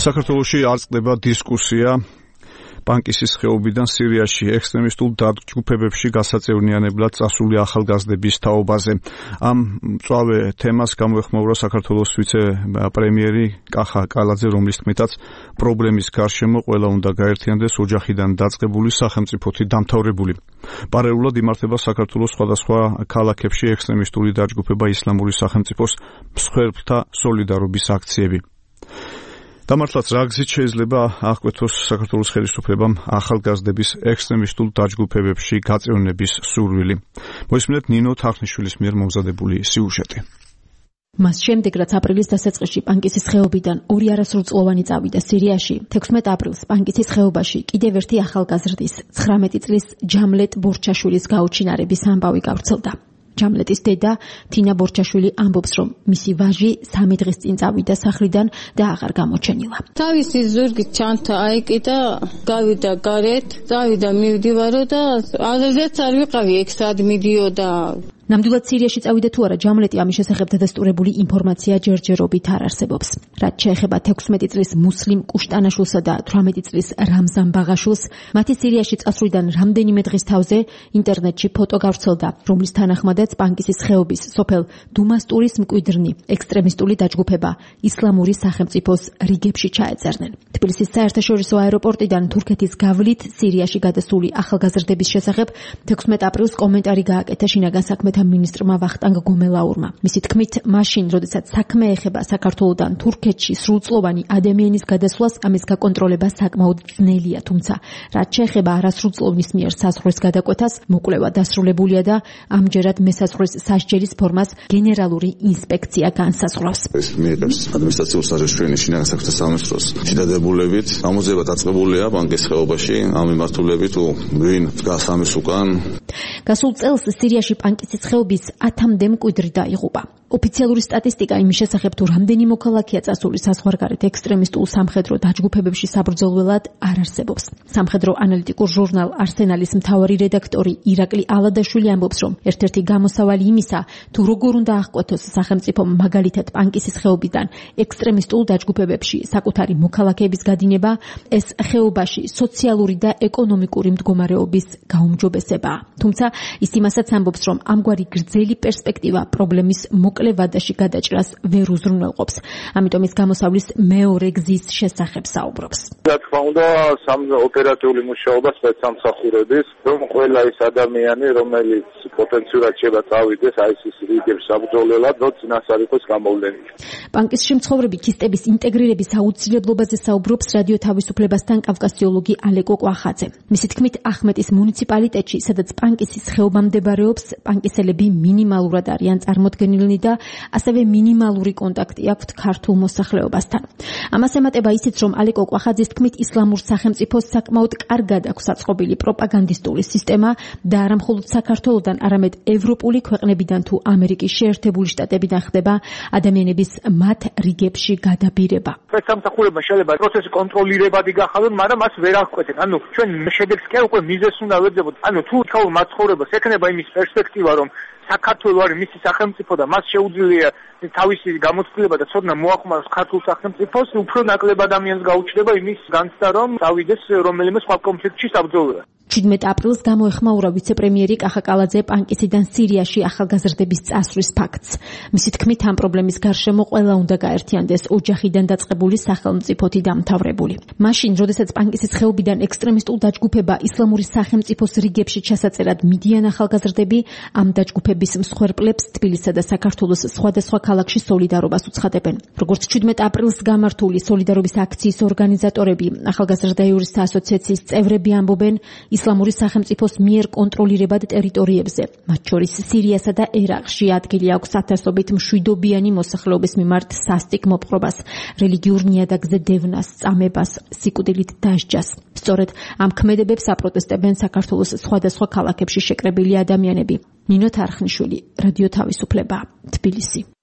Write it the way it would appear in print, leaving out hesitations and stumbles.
საქართველოში არ წყდება დისკუსია პანკისის ხეობიდან სირიაში ექსტრემისტულ დაჯგუფებებში გასაწევრიანებლად წასული ახალგაზრდების თაობაზე. Ამ მწვავე თემას გამოეხმაურა საქართველოს ვიცე-პრემიერი კახა კალაძე, რომლის თქმითაც პრობლემის გარშემო ყველა უნდა გაერთიანდეს ოჯახიდან დაწყებული სახელმწიფოთი დამთავრებული. პარალელურად იმართება საქართველოს სხვადასხვა ქალაქებში ექსტრემისტული დაჯგუფება ისლამური სახელმწიფოს მსხვერპლთა სოლიდარობის აქციები. დამართლაც რა გზით შეიძლება აღკვეთოს საქართველოს ხელისუფლებამ ახალგაზრდების ექსტრემისტულ დაჯგუფებებში გაწევრიანების სურვილი. მოისმინეთ ნინო თარხნიშვილის მიერ მომზადებული სიუჟეტი. მას შემდეგ, რაც აპრილის დასაწყისში პანკისის ხეობიდან ორი არასრულწლოვანი წავიდა სირიაში, 16 აპრილს პანკისის ხეობაში კიდევ ერთი ახალგაზრდის 19 წლის ჯამლეტ ბორჩაშვილის გაუჩინარების ამბავი გავრცელდა. ჯამლეტის დედა თინა ბორჩაშვილი ამბობს, რომ მისი ვაჟი 3 დღის წინ წავიდა სახლიდან და აღარ გამოჩენილა. თავისი ზურგით ჩანთა აიკიდა, გავიდა გარეთ, წავიდა მივდივარო და აღზეც არ ვიყავი ეგ სად მიდიოდა. ნამდვილად სირიაში წავიდა თუ არა, ჯამლეტი ამის შესახებ დადასტურებული ინფორმაცია ჯერჯერობით არ არსებობს. რაც შეეხება 16 წლის მუსლიმ კუშტანაშვილსა და 18 წლის რამზან ბაღაშვილს, მათი სირიაში წასვლიდან რამდენიმე დღის თავზე ინტერნეტში ფოტო გავრცელდა, რომლის თანახმადაც პანკისის ხეობის სოფელ დუმასტურის მკვიდრნი ექსტრემისტული დაჯგუფება ისლამური სახელმწიფოს რიგებში ჩაეწერნენ. თბილისის საერთაშორისო აეროპორტიდან თურქეთის გავლით სირიაში გადასული ახალგაზრდების შესახებ 16 აპრილს კომენტარი გააკეთა შინაგან საქმეთა მინისტრმა ვახტანგ გომელაურმა. მისი თქმით, მაშინ, როდესაც საქმე ეხება საქართველოდან თურქეთში სრულწლოვანი ადამიანის გადასვლას, ამის გაკონტროლება საკმაოდ ძნელია, თუმცა რაც შეეხება არასრულწლოვნის მიერ საზღვრის გადაკვეთას, მოკვლევა დასრულებულია და ამჯერად მესაზღვრის სასჯელის ფორმას გენერალური ინსპექცია განსაზღვრავს. ეს მიიღებს ადმინისტრაციულ სასჯელს შინაგან საქმეთა სამინისტროს შედარებულებით. ამოძება დაწყებულია პანკის ხეობაში ამ მიმართულებით, ვინ დგას ამის უკან. გასულ წელს სირიაში პანკისის ხეობის 10-მდე მკვიდრი დაიღუპა. ოფიციალური სტატისტიკა იმის შესახებ, თუ რამდენი მოქალაქეა წასული საზღვარგარეთ ექსტრემისტულ სამხედრო დაჯგუფებებში საბრძოლველად არ არსებობს. სამხედრო ანალიტიკურ ჟურნალ არსენალის მთავარი რედაქტორი ირაკლი ალადაშვილი ამბობს, რომ ერთ-ერთი გამოსავალი იმისა, თუ როგორ უნდა აღკვეთოს სახელმწიფომ მაგალითად პანკისის ხეობიდან ექსტრემისტულ დაჯგუფებებში საკუთარი მოქალაქეების გადინება, ეს ხეობაში სოციალური და ეკონომიკური მდგომარეობის გაუმჯობესებაა. თუმცა ის იმასაც ამბობს, რომ ამგვარი გრძელი პერსპექტივა პრობლემის მოკლევადაში გადაჭრას ვერ უზრუნველყოფს. ამიტომ ის გამოსავლის მეორე გზის შესახებ საუბრობს. რა თქმა უნდა, ოპერატიული მუშაობა სპეცსამსახურების, რომ ყველა ის ადამიანი, რომელიც პოტენციურად შეიძლება წავიდეს ISIS რიგებს საბრძოლველად, რომ წინასწარ იყოს გამოვლენილი. პანკისში მცხოვრები ქისტების ინტეგრირების აუცილებლობაზე საუბრობს რადიო თავისუფლებასთან კავკასიოლოგი ალეკო კვახაძე. მისი თქმით, ახმეტის მუნიციპალიტეტში, სადაც პანკისის ხეობა მდებარეობს, პანკისელები მინიმალურად არიან წარმოდგენილნი და ასევე მინიმალური კონტაქტი აქვთ ქართულ მოსახლეობასთან. ამას ემატება ისიც, რომ ალეკო კვახაძის თქმით, ისლამურ სახელმწიფოს საკმაოდ კარგად აქვს აწყობილი პროპაგანდისტული სისტემა და არა მხოლოდ საქართველოდან, არამედ ევროპული ქვეყნებიდან თუ ამერიკის შეერთებული შტატებიდან ხდება ადამიანების მათ რიგებში გადაბირება. სპეცსამსახურებმა შეიძლება პროცესი კონტროლირებადი გახადონ, მაგრამ მას ვერ აღკვეთენ. ანუ ჩვენ შედეგს კი უკვე მიზეზს უნდა ვეძებოთ. ანუ თუ თაურ მაცხოვრებას ექნება იმის პერსპექტივა, რომ საქართველოს არის მისი სახელმწიფო და მას შეუძლია თავისი გამოცდილება და ცოდნა მოახმაროს ქართულ სახელმწიფოს, უფრო ნაკლებ ადამიანს გაუჩნდება იმის განცდა, რომ წავიდეს რომელიმე სხვა კონფლიქტში საბრძოლველად. 17 აპრილს გამოეხმაურა ვიცე-პრემიერი კახა კალაძე პანკისიდან სირიაში ახალგაზრდების წასვლის ფაქტს. მისი თქმით, ამ პრობლემის გარშემო ყველა უნდა გაერთიანდეს ოჯახიდან დაწყებული სახელმწიფოთი დამთავრებული. მაშინ, როდესაც პანკისის ხეობიდან ექსტრემისტულ დაჯგუფება ისლამური სახელმწიფოს რიგებში ჩასაწერად მიდიან ახალგაზრდები, ამ დაჯგუფების მსხვერპლებს თბილისსა და საქართველოს სხვადასხვა ქალაქში სოლიდარობას უცხადებენ. როგორც 17 აპრილს გამართული სოლიდარობის აქციის ორგანიზატორები, ახალგაზრდა იურისტთა ასოციაციის წევრები ამბობენ, ისლამური სახელმწიფოს მიერ კონტროლირებად ტერიტორიებზე, მათ შორის სირიასა და ერაყში ადგილი აქვს ათასობით მშვიდობიანი მოსახლეობის მიმართ სასტიკ მოპყრობას, რელიგიურ ნიადაგზე დევნას, წამებას, სიკვდილით დასჯას. სწორედ ამ ქმედებებს აპროტესტებენ საქართველოს სხვადასხვა ქალაქებში შეკრებილი ადამიანები. ნინო თარხნიშვილი, რადიო თავისუფლება, თბილისი.